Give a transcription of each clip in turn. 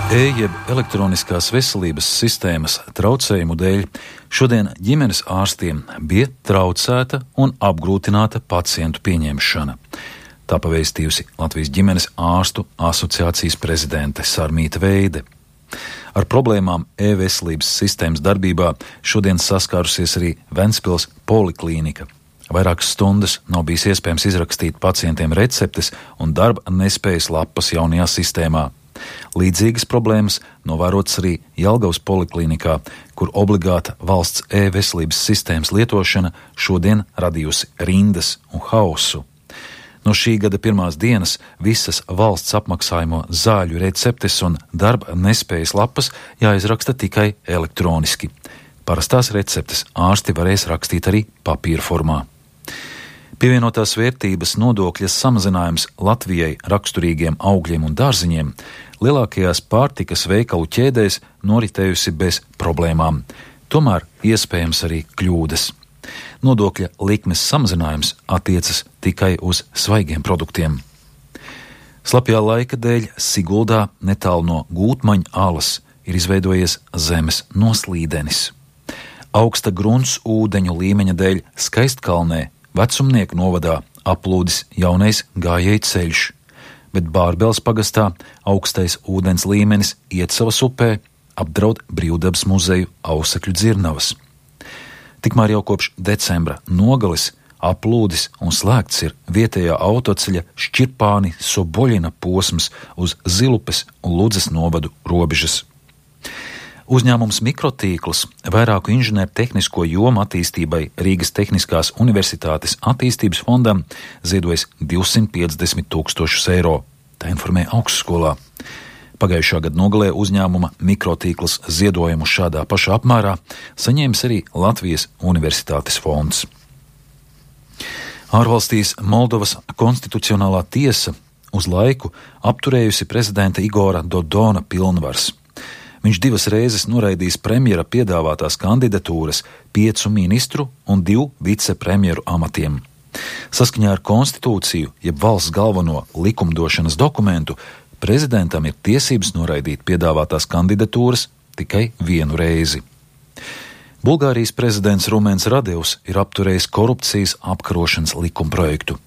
Jeb elektroniskās veselības sistēmas traucējumu dēļ šodien ģimenes ārstiem bija traucēta un apgrūtināta pacientu pieņemšana. Tā pavēstījusi Latvijas ģimenes ārstu asociācijas prezidente Sarmīta Veide. Ar problēmām e-veselības sistēmas darbībā šodien saskārusies arī Ventspils poliklīnika. Vairākas stundas nav bijis iespējams izrakstīt pacientiem receptes un darba nespējas lapas jaunajā sistēmā. Līdzīgas problēmas novērotas arī Jelgavas poliklīnikā, kur obligāta valsts e-veselības sistēmas lietošana šodien radījusi rindas un hausu. No šī gada pirmās dienas visas valsts apmaksājumo zāļu receptes un darba nespējas lapas jāizraksta tikai elektroniski. Parastās receptes ārsti varēs rakstīt arī papīra formā. Pievienotās vērtības nodokļa samazinājums Latvijai raksturīgiem augļiem un dārziņiem lielākajās pārtikas veikalu ķēdēs noritējusi bez problēmām. Tomēr iespējams arī kļūdas. Nodokļa likmes samazinājums attiecas tikai uz svaigiem produktiem. Slapjā laika dēļ Siguldā netālu no Gūtmaņa alas ir izveidojies zemes noslīdenis. Augsta grunts ūdeņu līmeņa dēļ Skaistkalnē Vecumnieku novadā aplūdis jaunais gājēju ceļš, bet Bārbels pagastā augstais ūdens līmenis Iecavas upē apdraud Brīvdabas muzeju Ausekļu dzirnavas. Tikmēr jau kopš decembra nogales aplūdis un slēgts ir vietējā autoceļa Šķirpāni Soboļina posms uz Zilupes un Ludzes novadu robežas. Uzņēmums Mikrotīkls vairāku inženieru tehnisko jomu attīstībai Rīgas Tehniskās universitātes attīstības fondam ziedojas 250 000 eiro. Tā informē augstskolā. Pagājušā gada nogalē uzņēmuma Mikrotīkls ziedojumu šādā pašā apmērā saņēmis arī Latvijas Universitātes fonds. Ārvalstīs Moldovas konstitucionālā tiesa uz laiku apturējusi prezidenta Igora Dodona pilnvars. Viņš 2 reizes noraidījis premjera piedāvātās kandidatūras 5 ministru un 2 vicepremjeru amatiem. Saskaņā ar konstitūciju, jeb valsts galveno likumdošanas dokumentu, prezidentam ir tiesības noraidīt piedāvātās kandidatūras tikai 1 reizi. Bulgārijas prezidents Rumens Radevs ir apturējis korupcijas apkarošanas likumprojektu.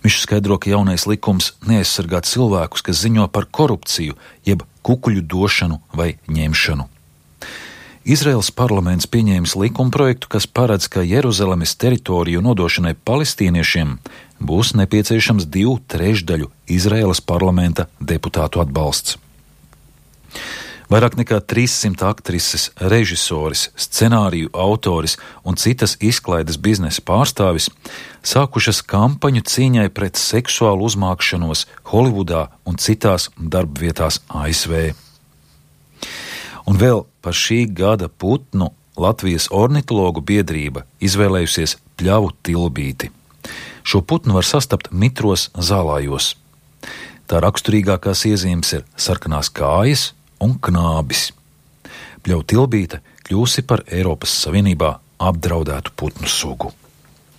Viņš skaidro, ka jaunais likums neaizsargā cilvēkus, kas ziņo par korupciju, jeb kukuļu došanu vai ņemšanu. Izraēlas parlaments pieņēmis likumprojektu, kas paredz, ka Jeruzalemes teritoriju nodošanai palestīniešiem būs nepieciešams 2/3 Izraēlas parlamenta deputātu atbalsts. Vairāk nekā 300 aktrises, režisoris, scenāriju autoris un citas izklaides biznesa pārstāvis sākušas kampaņu cīņai pret seksuālu uzmākšanos Holivudā un citās darbvietās ASV. Un vēl par šī gada putnu Latvijas ornitologu biedrība izvēlējusies pļavu tilbīti. Šo putnu var sastapt mitros zālājos. Tā raksturīgākās iezīmes ir sarkanās kājas un knābis. Pļautilbīte kļūsi par Eiropas Savienībā apdraudētu putnu sugu.